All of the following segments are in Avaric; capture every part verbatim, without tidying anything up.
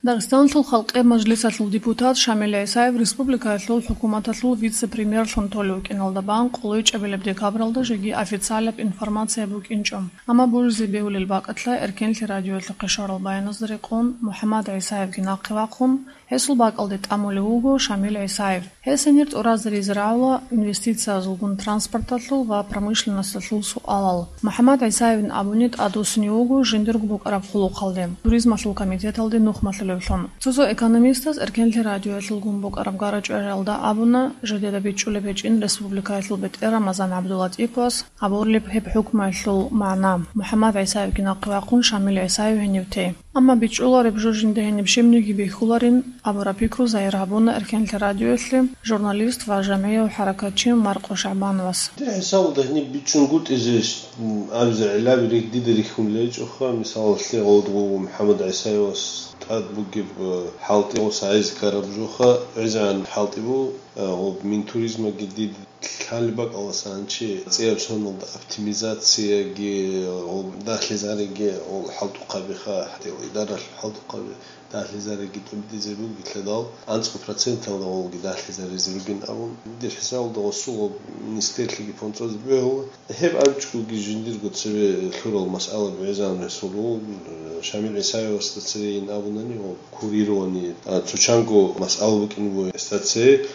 Дагъистаналъул Халкъи Мажлисалъул депутат Шамил ГӀисаев республикаялъул хӀукуматалъул вице-премьерлъун толев вукӀиналда бан къоло чӀебилеб декабралда жеги официалаб информация букӀинчӀо. Амма божизе бегьулел бакӀалъа Эркенлъи радиоялъухъе щварал баяназда рекъон МухӀаммад ГӀисаевги нахъе вахъун, гьесул бакӀалде тӀамулев вуго Шамил ГӀисаев. Гьес гьенир тӀуразаризе рагӀула инвестициязулгун транспорталъул ва промышленносталъул суалал. МухӀаммад ГӀисаевин абуни тӀадвуссинев вуго жиндирго букӀараб хъулухъалде, туризмалъул комитеталде нухмалъулевлъун. Цо-цо экономистаз Эркенлъи радиоялъулгун букӀараб гара-чӀвариялда абуна, жидеда бичӀчӀулеб гьечӀин республикаялъул бетӀер Рамазан ГӀабдулатӀиповас гьабурилеб гьеб хӀукмуялъул магӀна, МухӀаммад ГӀисаевги нахъе вахъун Шамил ГӀисаев гьенив те. Амма бичӀчӀулареб жо жинда гьениб щибниги бихьуларин абураб пикру загьир гьабуна Эркенлъи радиоялъе журналист ва жамгӀияв хӀаракатчи Маркъо ШагӀбановас. Дир хӀисабалда гьениб бичӀчӀунгутӀизе, м, абизе гӀиллаби рихь-, дида рихьун гьечӀоха, мисалалъе, гъодгъу МухӀаммад ГӀисаевас тӀад бугеб, э, хӀалтӀи гъос гӀез ккараб жоха, гӀезегӀан хӀалтӀи бу, э, гъоб Минтуризмаги дид лъалеб бакӀаласан чи цӀияб соналда оптимизацияги, гъоб дагьлъизариги, гъол хӀалтӀухъабиха, гьатӀил идаралъул хӀалтӀухъаби дагьлъизариги тӀубдизе бугелъадал, анцӀго проценталда гъолги дагьлъизаризе ругин абун, дир хӀисабалда гъосул гъоб министрлъиги фондзазе бегьула. Гьеб абичӀоги жиндирго цеве лъурал масъала бегӀизан ресурул, Шамил ГӀисаевасда цевейин абунани, гъоб курирование, а, цо чанго масъала букӀин буго гьесда цеве.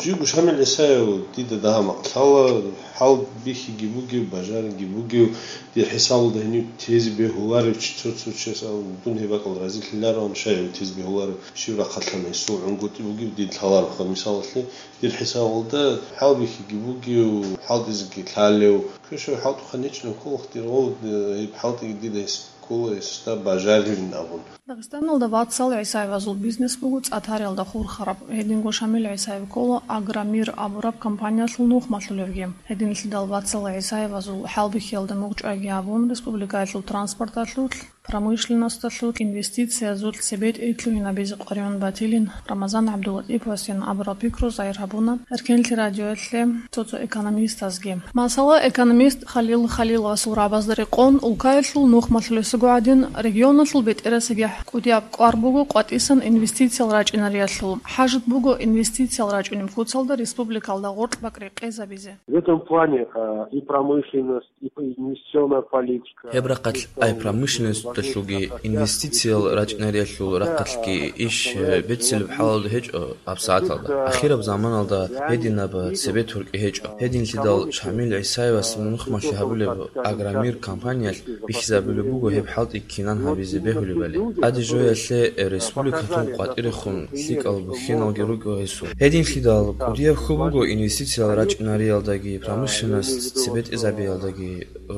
Жиб Шамил ГӀисаев дида дагьа-макъ лъала, хӀал бихьиги бугев, бажариги бугев, дир хӀисабалда гьенив тезе бегьуларев чи цо-цо чияс абун, дун гьеб бакӀал разилъилароан, щай гьев тезе бегьуларев, щив рахъалъан гьесул гӀунгутӀи бугев дид лъалароха, мисалалъе, дир хӀисабалда хӀал бихьиги бугев, хӀалтӀизеги лъалев, квешав хӀалтӀухъан гьечӀин кколах дир гъов, гьеб хӀалтӀиги дида гьес ккола гьесда бажарилин абун. Дагъистаналда вацал ГӀисаевазул бизнес буго цӀатариялда хурхараб. Гьединго Шамил ГӀисаев ккола «Агромир» абураб компаниялъул нухмалъулевги. Гьединлъидал вацал ГӀисаевазул хӀалбихьиялда мугъчӀвайги абун, республикаялъул транспорталъулъ, промышленносталъулъ, инвестициязулъ цебетӀей лъугьинабизе къваригӀун батилин Рамазан ГӀабдулатӀиповасин абурал пикру загьир гьабуна Эркенлъи радиоялъе цо-цо экономистазги. Масала, экономист Халил Халиловасул рагӀабазда рекъон, улкаялъул нухмалъулесаго гӀадин, регионалъул бетӀерасеб кӀудияб кӀвар буго къватӀисан инвестициял рачӀинариялъул. ХӀажат буго инвестициял рачӀунеб куцалда республикалда гъоркь бакӀ рекъезабизе. В этом плане, а, и промышленность, и п-, инвестиционная политика. Гьеб рахъалъ ай промышленносталъулги инвестициял рачӀинариялъул рахъалъги иш, э, беццилеб хӀалалда гьечӀо гьабсагӀаталда. Ахираб заманалда гьединаб цебе туркӀи гьечӀо. Гьединлъидал Шамил ГӀисаевас нухмалъи гьабулеб «Агромир» компаниялъ бихьизабулеб буго гьеб хӀалтӀи кинан гьабизе бегьулебали. ТӀаде жоялъе, э, республикалъул къватӀирехун лъикӀал бухьиналги руго гьесул. Гьединлъидал кӀудияб хьул буго инвестициял рачӀинариялдаги, промышленность цебетӀезабиялдаги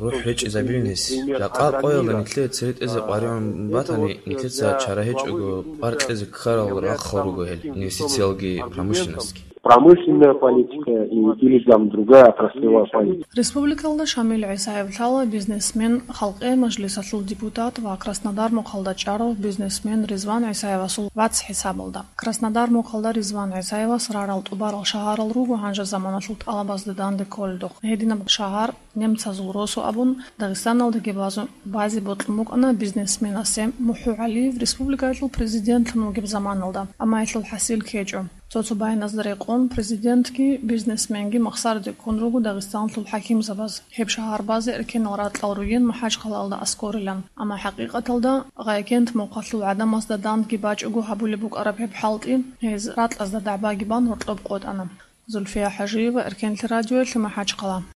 рухӀ гьечӀизабилин гьес. Жакъа къоялда нилъее цере тӀезе къваригӀун батани, нилъеца чара гьечӀого пӀар кьезе ккарал рахъал руго гьел инвестициялги промышленностьги. Промышленная политика и, или там другая отраслевая политика. Республикалда Шамил ГӀисаев лъала бизнесмен, Халкъи Мажлисалъул депутат ва Краснодар мухъалда чӀарав бизнесмен Ризван ГӀисаевасул вац хӀисабалда. Краснодар мухъалда Ризван ГӀисаевас рарал тӀубарал шагьарал руго гьанже заманалъул тӀалабазда данде кколелдухъ. Гьединаб шагьар немцазул росу абун, Дагъистаналдаги базу-, базе бокьун букӀана бизнесменасе МухӀу ГӀалиев республикаялъул президентлъун вугеб заманалда, амма гьелъул хӀасил ккечӀо. Цо-цо баяназда рекъон, президентги бизнесменги махсараде ккун руго Дагъистаналъул хӀакимзабаз, гьеб шагьар базе эркенал ракьал ругин МахӀачхъалаялда аскӀорилан. Амма хӀакъикъаталда Гъайкент мухъалъул гӀадамазда дандги бачӀого гьабулеб букӀараб гьеб хӀалтӀи, гьез ракьазда дагӀбаги бан гьоркьоб къотӀана. Зульфия ХӀажиева, Эркенлъи радиоялъе, МахӀачхъала.